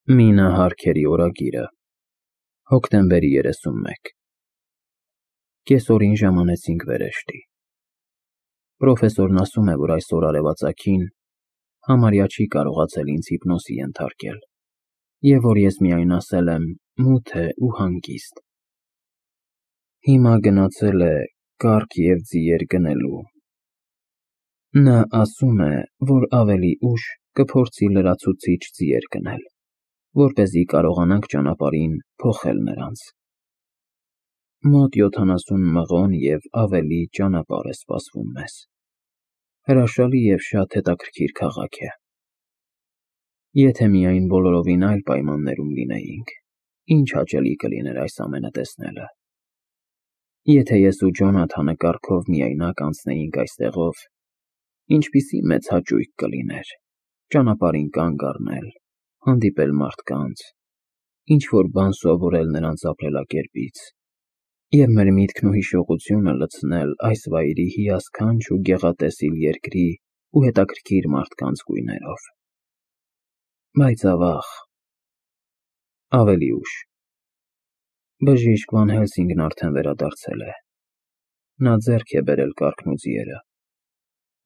Մինա Հարքերի օրագիրը, հոկտեմբերի 31 Կեսօրին ժամանեցինք վերեշտի։ Պրոֆեսորն ասում է, որ այսօր արևածագին համարյա չի կարողացել ինձ հիպնոսի ենթարկել, և որ ես միայն ասել եմ մութ է ու հանգիստ։ Հիմա գնացել է կառք և ձիեր գնելու։ Նա ասում է, որ ավելի ուշ կփորձի լրացուցիչ ձիեր գնել, որպեսզի կարողանանք ճանապարհին փոխել նրանց։ Մոտ 70 մղոն և ավելի ճանապարհ է սպասվում մեզ։ Հրաշալի և շատ հետաքրքիր քաղաք է։ Եթե միայն բոլորովին այլ պայմաններում լինեինք, ինչ հաճելի կլիներ այս ամենը տեսնելը։ Եթե ես ու Ջոնաթանը կառքով միայնակ անցնեինք այստեղով, ինչպիսի մեծ հաճույք կլիներ ճանապարհին կանգ առնել, հանդիպել մարդկանց, ինչ-որ բան սովորել նրանց ապրելակերպից և մեր միտքն ու հիշողությունը լցնել այս վայրի հիասքանչ ու գեղատեսիլ երկրի ու հետաքրքիր մարդկանց գույներով։ Բայց ավաղ, ավելի ուշ։ Բժիշկ Վան Հելսինգն արդեն վերադարձել է։ Նա ձեռք է բերել կառքն ու ձիերը։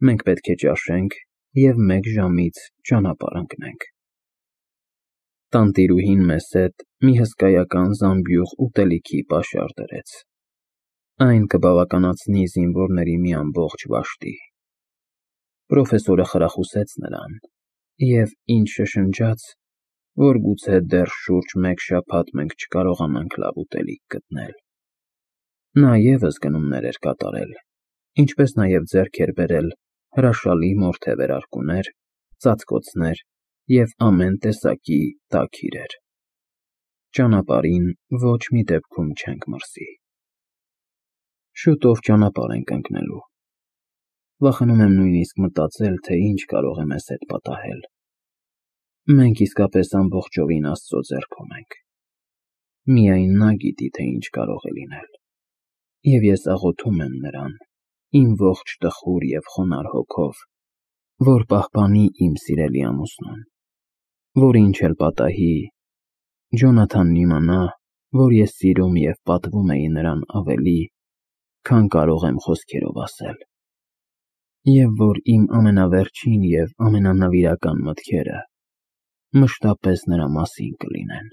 Մենք պետք է ճաշենք և 1 ժամից ճանապարհ ընկնենք։ Տանտիրուհին մեզ հետ մի հսկայական զամբյուղ ուտելիքի պաշար դրեց։ Այն կբավականացնի զինվորների մի ամբողջ վաշտի։ Պրոֆեսորը խրախուսեց նրան և ինձ շշնջաց, որ գուցե դեռ շուրջ 1 շաբաթ մենք չկարողանանք լավ ուտելիք գտնել։ Նա ևս գնումներ էր կատարել, ինչպես նաև ձեռք էր բերել հրաշալի մորթե վերարկուներ, ծածկոցներ և ամեն տեսակի տաք իրեր։ Ճանապարհին ոչ մի դեպքում չենք մրսի։ Շուտով ճանապարհ ենք ընկնելու։ Վախենում եմ նույնիսկ մտածել, թե ինչ կարող է մեզ հետ պատահել։ Մենք իսկապես ամբողջովին Աստծո ձեռքում ենք։ Միայն նա գիտի, թե ինչ կարող է լինել։ Եվ ես աղոթում եմ նրան, իմ ողջ տխուր և խոնարհ հոգով, որ պահպանի իմ սիրելի ամուսնուն, որ ինչ էլ պատահի, Ջոնաթանն իմանա, որ ես սիրում և պատվում էի նրան ավելի, քան կարող եմ խոսքերով ասել, և որ իմ ամենավերջին և ամենանվիրական մտքերը մշտապես նրա մասին կլինեն։